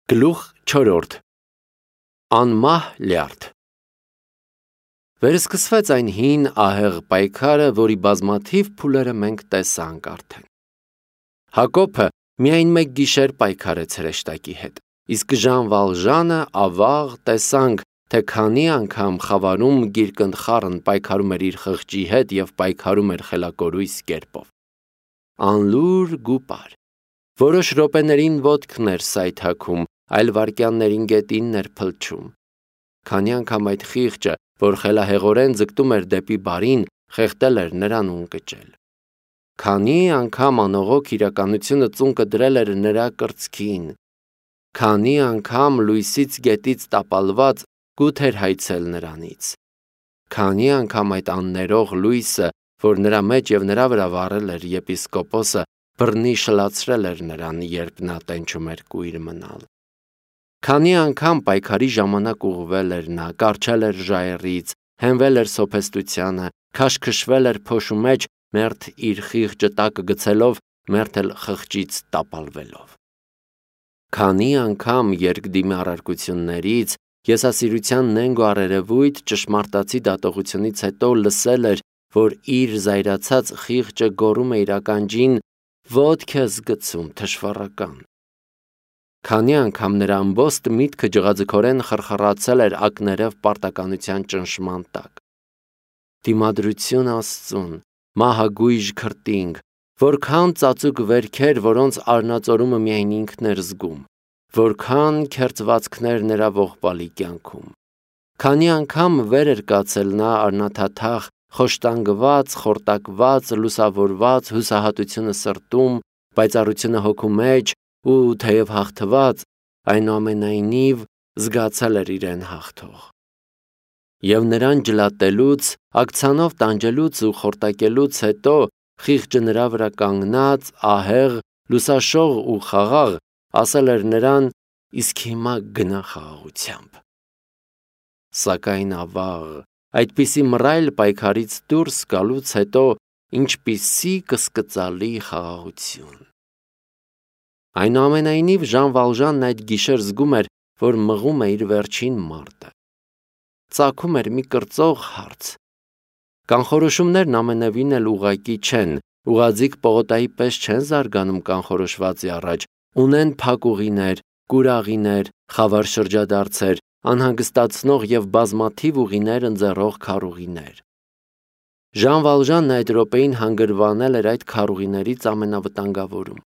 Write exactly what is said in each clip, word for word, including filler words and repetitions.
Գլուխ չորրորդ Անմահ լյարդ Վերսկսվեց այն հին ահեղ պայքարը, որի բազմաթիվ փուլերը մենք տեսանք արդեն։ Հակոբը միայն մեկ գիշեր պայքարեց հրեշտակի հետ, իսկ Ժան Վալժանը ավաղ տեսանք, թե քանի անգամ խավարում գիրկընթխառն պայքարում էր իր խղճի հետ և պայքարում էր խելակորույս կերպով։ Անլուր գուպար։ Որոշ րոպեներին ոտքն էր սայթաքում, այլ վայրկյաններին գետինն էր փլչում։ Քանի անգամ այդ խիղճը, որ խելահեղորեն ձգտում էր դեպի բարին, խեղդել էր նրան ու ընկճել։ Քանի անգամ անողոք իրականությունը ծունկը դրել էր նրա կրծքին։ Քանի անգամ լույսից գետից տապալված կուտ էր հայցել նրանից։ Քանի անգամ այդ աններող լույսը, որ նրա մեջ և նրա վրա վառել էր եպիսկոպոսը, բռնի շլացրել էր նրան, երբ նա տենչում էր կույր մնալ։ Քանի անգամ պայքարի ժամանակ ուղղվել էր նա, կառչել էր ժայռից, հենվել էր սոփեստությանը, քաշքշվել էր փոշու մեջ, մերթ իր խիղճը տակը գցելով, մերթ էլ խղճից տապալվելով։ Քանի անգամ երկդիմի առարկություններից, եսասիրության նենգ ու առերևույթ ճշմարտացի դատողությունից հետո լսել էր, որ իր զայրացած խիղճը գոռում է իր ականջին. «Ոտք ես գցում, թշվառական»։ Քանի անգամ նրա ամբոստ միտքը ջղաձգորեն խրխռացել էր ակներև պարտականության ճնշման տակ։ Դիմադրություն Աստծուն, մահագույժ քրտինք, որքան ծածուկ վերքեր, որոնց արնածորումը միայն ինքն էր զգում, որքան քերծվածքներ նրա ողբալի կյանքում։ Քանի անգամ վեր էր կացել նա առնաթաթախ, խոշտանգված, խորտակված, լուսավորված, հուսահատությունը սրտում, պայծառությունը հոգու մեջ ու թեև հաղթված, այնուամենայնիվ զգացել էր իրեն հաղթող։ Եվ նրան ջլատելուց, աքցանով տանջելուց ու խորտակելուց հետո, խիղճը նրա վրա կանգնած, ահեղ, լուսաշող ու խաղաղ, ասել էր նրան. «Իսկ հիմա գնա խաղաղությամբ»։ Սակայն ավաղ, այդպիսի մռայլ պայքարից դուրս գալուց հետո, ինչպիսի կսկծալի խաղաղություն։ Այնուամենայնիվ Ժան Վալժանն այդ գիշեր զգում էր, որ մղում է իր վերջին մարտը։ Ծագում էր մի կրծող հարց։ Կանխորոշումներն ամենևին էլ ուղղակի չեն, ուղղաձիգ պողոտայի պես չեն զարգանում կանխորոշվածի առաջ, ունեն փակ ուղիներ, կուրաղիներ, խավար շրջադարձեր, անհանգստացնող և բազմաթիվ ուղիներ ընձեռող քարուղիներ։ Ժան Վալժանն այդ րոպեին հանգրվանել էր այդ քարուղիներից ամենավտանգավորում։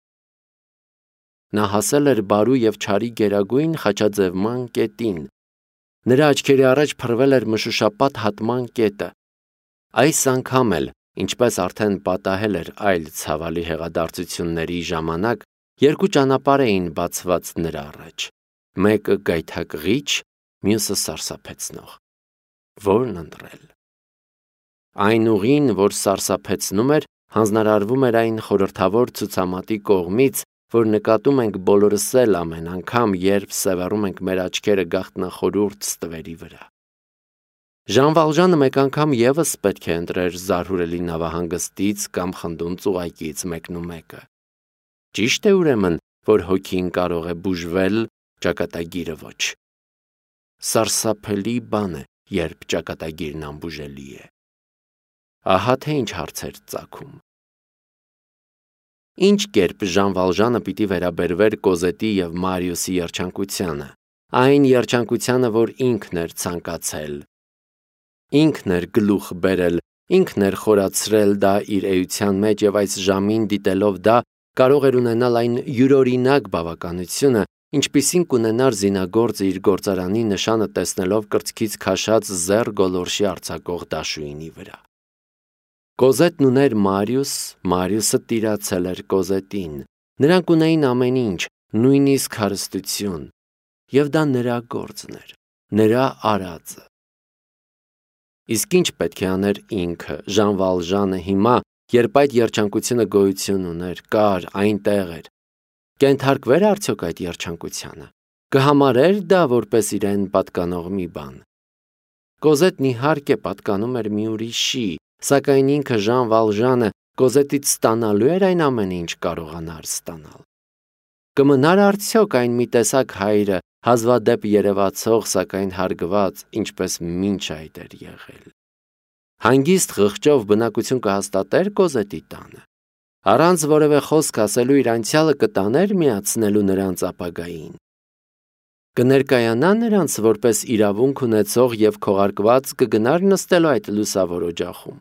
Նա հասել էր բարու և չարի գերագույն խաչաձևման կետին։ Նրա աչքերի առաջ փռվել էր մշուշապատ հատման կետը։ Այս անգամ էլ, ինչպես արդեն պատահել էր այլ ցավալի հեղադարձությունների ժամանակ, երկու ճանապարհ էին բացված նրա առաջ, մեկը գայթակղիչ, մյուսը սարսափեցնող։ Ո՞րն ընտրել։ Այն ուղին, որ սարսափեցնում էր, հանձնարարվում էր այն խորհրդավոր ցուցամատի կողմից, որ նկատում ենք բոլորս էլ ամեն անգամ, երբ սևեռում ենք մեր աչքերը գաղտնախորհուրդ ստվերի վրա։ Ժան Վալժանը մեկ անգամ ևս պետք է ընտրեր զարհուրելի նավահանգստից կամ խնդուն ծուղակից մեկնումեկը։ Ճիշտ է ուրեմն, որ հոգին կարող է բուժվել, ճակատագիրը ոչ։ Սարսափելի բան է, երբ ճակատագիրն անբուժելի է։ Ահա թե ինչ հարց էր ծագում։ Ինչ կերպ Ժան Վալժանը պիտի վերաբերվեր Կոզետի և Մարիուսի երջանկությանը, այն երջանկությանը, որ ինքն էր ցանկացել։ Ինքն էր գլուխ բերել, ինքն էր խորացրել դա իր էության մեջ և այս ժամին դիտելով դա, կարող էր ունենալ այն յուրօրինակ բավականությունը, ինչպիսին կունենար զինագործը իր գործարանի նշանը տեսնելով կրծքից քաշած զեռ գոլորշի արձակող դաշույնի վրա։ Կոզետն ուներ Մարիուս, Մարիուսը տիրացել էր Կոզետին։ Նրանք ունեին ամեն ինչ, նույնիսկ հարստություն, և դա նրա գործն էր, նրա արածը։ Իսկ ինչ պետք է աներ ինքը, Ժան Վալժանը հիմա, երբ այդ երջանկությունը գոյություն ուներ, կար, այնտեղ էր։ Կենթարկվեր արդյոք այդ երջանկությանը։ Կհամարեր դա որպես իրեն պատկանող մի բան։ Կոզետն իհարկե պատկանում էր մի ուրիշի, սակայն ինքը Ժան Վալժանը Կոզետից ստանալու էր այն ամենը, ինչ կարողանար ստանալ։ Կմնար արդյոք այն մի տեսակ հայրը, հազվադեպ երևացող, սակայն հարգված, ինչպես մինչ այդ էր եղել։ Հանգիստ խղճով բնակություն կհաստատեր Կոզետի տանը։ Առանց որևէ խոսք ասելու իր անցյալը կտաներ միացնելու նրանց ապագային։ Կներկայանա նրանց որպես իրավունք ունեցող և քողարկված կգնար նստելու այդ լուսավոր օջախում։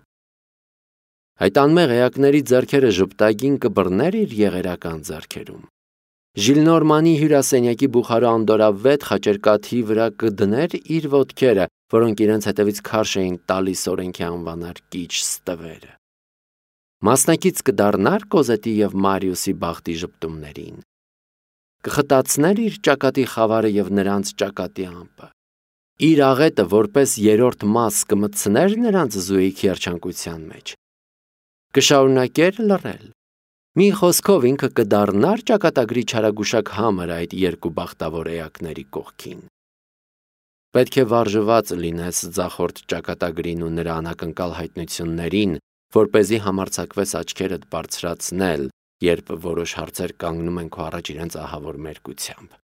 Այդ անմեղ էակների ձեռքերը ժպտագին կբռներ իր եղերական ձեռքերում։ Ժիլնորմանի հյուրասենյակի բուխարու անդորավետ խաչերկաթի վրա կդներ իր ոտքերը, որոնք իրենց հետևից քարշ էին տալիս օրենքի անվանար կիչ ստվերը։ Մասնակից կդառնար Կոզետի և Մարիուսի բախտի ժպտումներին։ Կխտացներ իր ճակատի խավարը և նրանց ճակատի ամպը։ Իր աղետը որպես երրորդ մաս կմտցներ նրանց զույգի երջանկության մեջ։ Կշարունակեր լռել։ Մի խոսքով ինքը կդառնար ճակատագրի չարագուշակ համր այդ երկու բախտավոր էակների կողքին։ Պետք է վարժված լինես ձախորդ ճակատագրին ու նրա անակնկալ հայտնություններին, որպեսզի համարձակվես աչքերդ բարձրացնել, երբ որոշ հարցեր կանգնում են քո առաջ իրենց ահավոր մերկությամբ։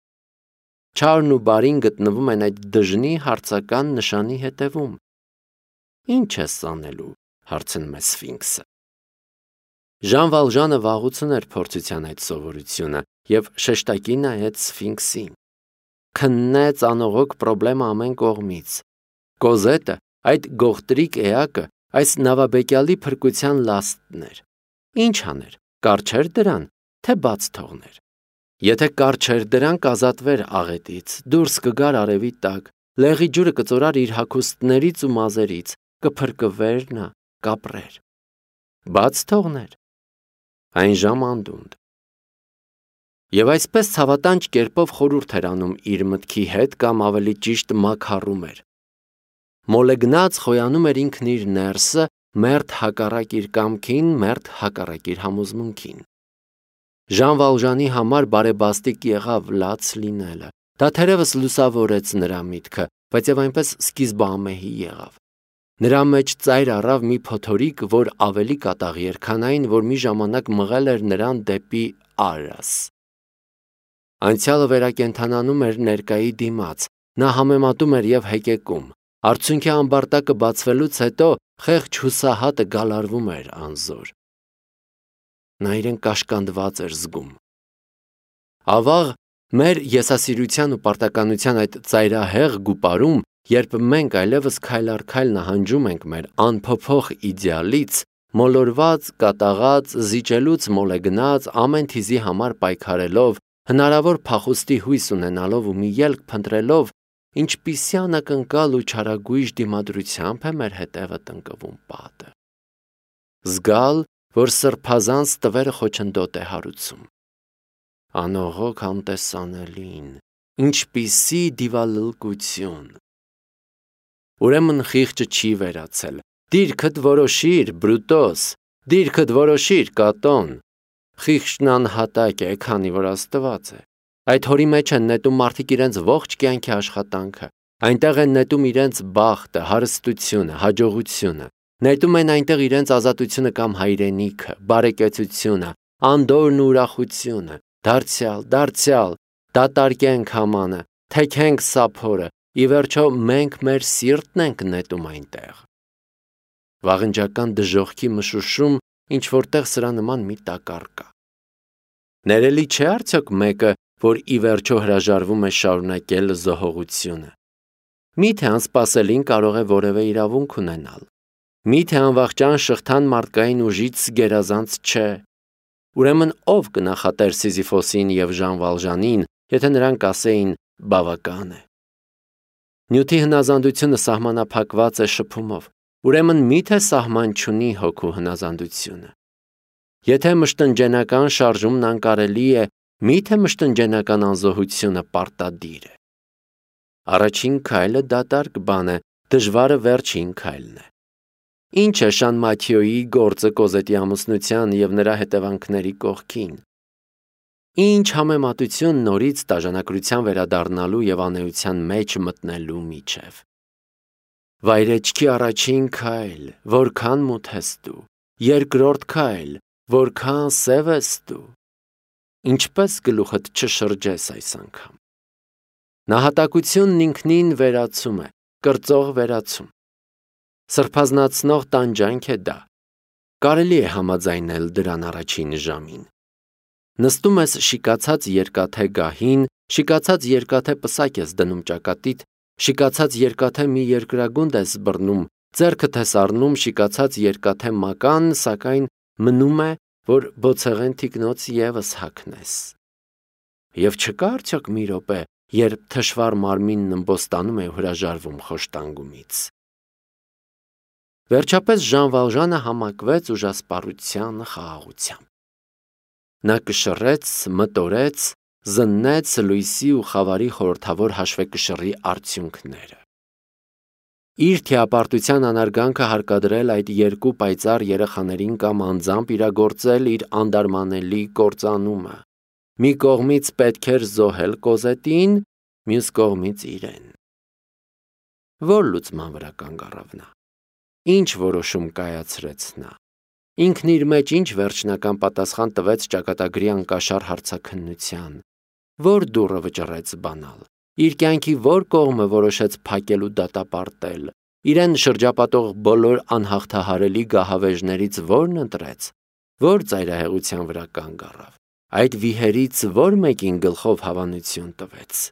Չարն ու բարին գտնվում են այդ դժնի հարցական նշանի հետևում։ Ինչ ես անելու, հարցնում է Սֆինքսը։ Ժան Վալժանը վաղուց ուներ փորձության այդ սովորությունը և շեշտակի նայեց Սֆինքսին։ Քննեց անողոք պրոբլեմը ամեն կողմից։ Կոզետը, այդ գողտրիկ էակը, այս նավաբեկյալի փրկության լաստն էր։ Ինչ աներ, կառչեր դրան, թե բաց թողներ։ Եթե կառչեր դրան, կազատվեր աղետից, դուրս կգար արևի տակ, լեղի ջուրը կծորար իր հագուստներից ու մազերից, կփրկվեր նա, կապրեր։ Բաց թողներ, այն ժամ անդունդ։ Եվ այսպես ցավատանչ կերպով խորհուրդ էր անում իր մտքի հետ կամ ավելի ճիշտ մաքառում էր։ Մոլեգնած խոյանում էր ինքն իր ներսը, մերթ հակառակ իր կամքին, մերթ հակառակ իր համոզմունքին։ Ժան Վալժանի համար բարեբաստիկ եղավ լաց լինելը։ Դա թերևս լուսավորեց նրա միտքը, բայց եւ այնպես սկիզբամեհի եղավ։ Նրա մեջ ծայր առավ մի փոթորիկ, որ ավելի կատաղի էր, քան այն, որ մի ժամանակ մղել էր նրան դեպի Արաս։ Անցյալը վերակենդանանում էր ներկայի դիմաց, նա համեմատում էր և հեկեկում։ Արցունքի ամբարտակը բացվելուց հետո խեղճ հուսահատը գալարվում էր անզոր։ Նա իրեն կաշկանդված էր զգում։ Ավաղ մեր եսասիրության ու պարտականության այդ ծայրահեղ գուպարում, երբ մենք այլևս քայլ առ քայլ նահանջում ենք մեր անփոփոխ իդեալից, մոլորված, կատաղած, զիջելուց մոլեգնած, ամեն թիզի համար պայքարելով, հնարավոր փախուստի հույս ունենալով ու մի ելք փնտրելով, ինչպիսի անակնկալ ու չարագույժ դիմադրությամբ է մեր հետևը տնկվում պատը։ Զգալ, որ սրբազան ստվերը խոչընդոտ է հարուցում։ Անողոք անտեսանելին, ինչպիսի դիվալլկություն։ Ուրեմն խիղճը չի վերացել։ Դիրքդ որոշիր, Բրուտոս, դիրքդ որոշիր, Կատոն։ Խիղճն անհատակ է, քանի որ Աստված է։ Այդ հորի մեջ են նետում մարդիկ իրենց ողջ կյանքի աշխատանքը, այնտեղ են նետում իրենց բախտը, հարստությունը, հաջողությունը, նետում են այնտեղ իրենց ազատությունը կամ հայրենիքը, բարեկեցությունը, անդորն ու ուրախությունը, դարձյալ, դարձյալ, դատարկենք համանը, թեքենք սափորը, ի վերջո մենք մեր սիրտն ենք նետում այնտեղ։ Վաղնջական դժոխքի մշուշում ինչ որտեղ սրա նման մի տակառ կա։ Ներելի չէ արդյոք մեկը, որ ի վերջո հրաժարվում է շարունակել զոհողությունը։ Միթե անսպասելին կարող է որևէ իրավունք ունենալ։ Միթե անվախճան շղթան մարդկային ուժից գերազանց չէ։ Ուրեմն ով կնախատեր Սիզիֆոսին և Ժան Վալժանին, եթե նրանք ասեին բավական է։ Նյութի հնազանդությունը սահմանափակված է շփումով, ուրեմն միթե սահման չունի հոգու հնազանդությունը։ Եթե մշտնջենական շարժումն անկարելի է, միթե մշտնջենական անզոհությունը պարտադիր է։ Առաջին քայլը դատարկ բան է, դժվարը վերջին քայլն է։ Ինչ է Շան Մաթիոյի գործը Կոզետի ամուսնության և նրա հետևանքների կողքին։ Ինչ համեմատություն նորից տաժանակրության վերադառնալու և անեության մեջ մտնելու միջև։ Վայրեջքի առաջին քայլ, որքան մութ ես դու, երկրորդ քայլ, որքան սև ես դու։ ինչպես գլուխդ չշրջես այս անգամ։ Նահատակությունն ինքնին վերացում է, կրծող վերացում։ Սրբազնացնող տանջանք է դա։ Կարելի է համաձայնել դրան առաջին ժամին։ Նստում ես շիկացած երկաթե գահին, շիկացած երկաթե պսակ ես դնում ճակատիդ, շիկացած երկաթե մի երկրագունդ ես բռնում, ձեռքդ ես առնում շիկացած երկաթե մական, սակայն մնում է, որ բոցեղեն թիկնոց ևս հագնես։ Եվ չկա արդյոք մի րոպե, երբ թշվառ մարմինն ըմբոստանում է ու հրաժարվում խոշտանգումից։ Վերջապես Ժան Վալժանը համակվեց ուժասպառության խաղաղությամբ։ Նա կշռեց, մտորեց, զննեց լույսի ու խավարի խորհրդավոր հաշվեկշռի արդյունքները։ Իր թիապարտության անարգանքը հարկադրել այդ երկու պայծառ երեխաներին կամ անձամբ իրագործել իր անդարմանելի կործանումը։ Մի կողմից պետք էր զոհել Կոզետին, մյուս կողմից իրեն։ Որ լուծման վրա կանգ առավ նա։ Ինչ որոշում կայացրեց նա։ Ինքն իր մեջ ինչ վերջնական պատասխան տվեց ճակատագրի անկաշառ հարցաքննության, որ դուռը վճռեց բանալ, իր կյանքի որ կողմը որոշեց փակել ու դատապարտել, իրեն շրջապատող բոլոր անհաղթահարելի գահավեժներից որն ընտրեց, որ ծայրահեղության վրա կանգ առավ, այդ վիհերից որ մեկին գլխով հավանություն տվեց։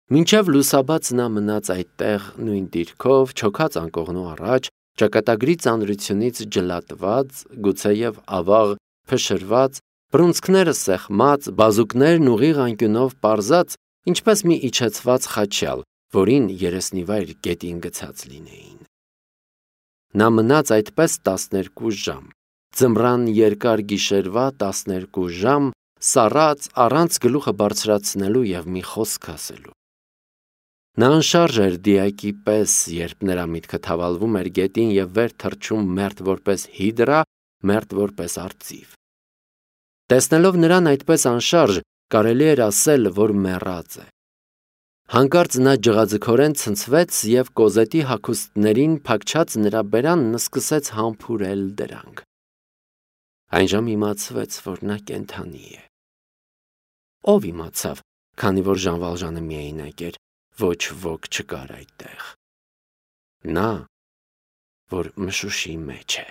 Մինչև լուսաբաց նա մնաց այդտեղ նույն դիրքով, չոքած անկողնու առաջ, ճակատագրի ծանրությունից ջլատված, գուցեև ավաղ փշրված, բռունցքները սեղմած, բազուկներն ուղիղ անկյունով պարզած, ինչպես մի իջեցված խաչյալ, որին երեսնիվայր գետին գցած լինեին։ Նա մնաց այդպես տասներկու ժամ, ձմռան երկար գիշերվա տասներկու ժամ, սառած, առանց գլուխը բարձրացնելու և մի խոսք ասելու։ Նա անշարժ էր դիակի պես, երբ նրա միտքը թավալվում էր գետին և վեր թռչում մերթ որպես հիդրա, մերթ որպես արծիվ։ Տեսնելով նրան այդպես անշարժ, կարելի էր ասել, որ մեռած է։ Հանկարծ նա ջղաձգորեն ցնցվեց և Կոզետի հագուստներին փակչած նրա բերանն սկսեց համբուրել դրանք։ Այնժամ իմացվեց, որ նա կենդանի է։ Ով իմացավ, քանի որ Ժան Վալժանը միայնակ էր, ոչ ոք չկար այդտեղ։ Նա, որ մշուշի մեջ է։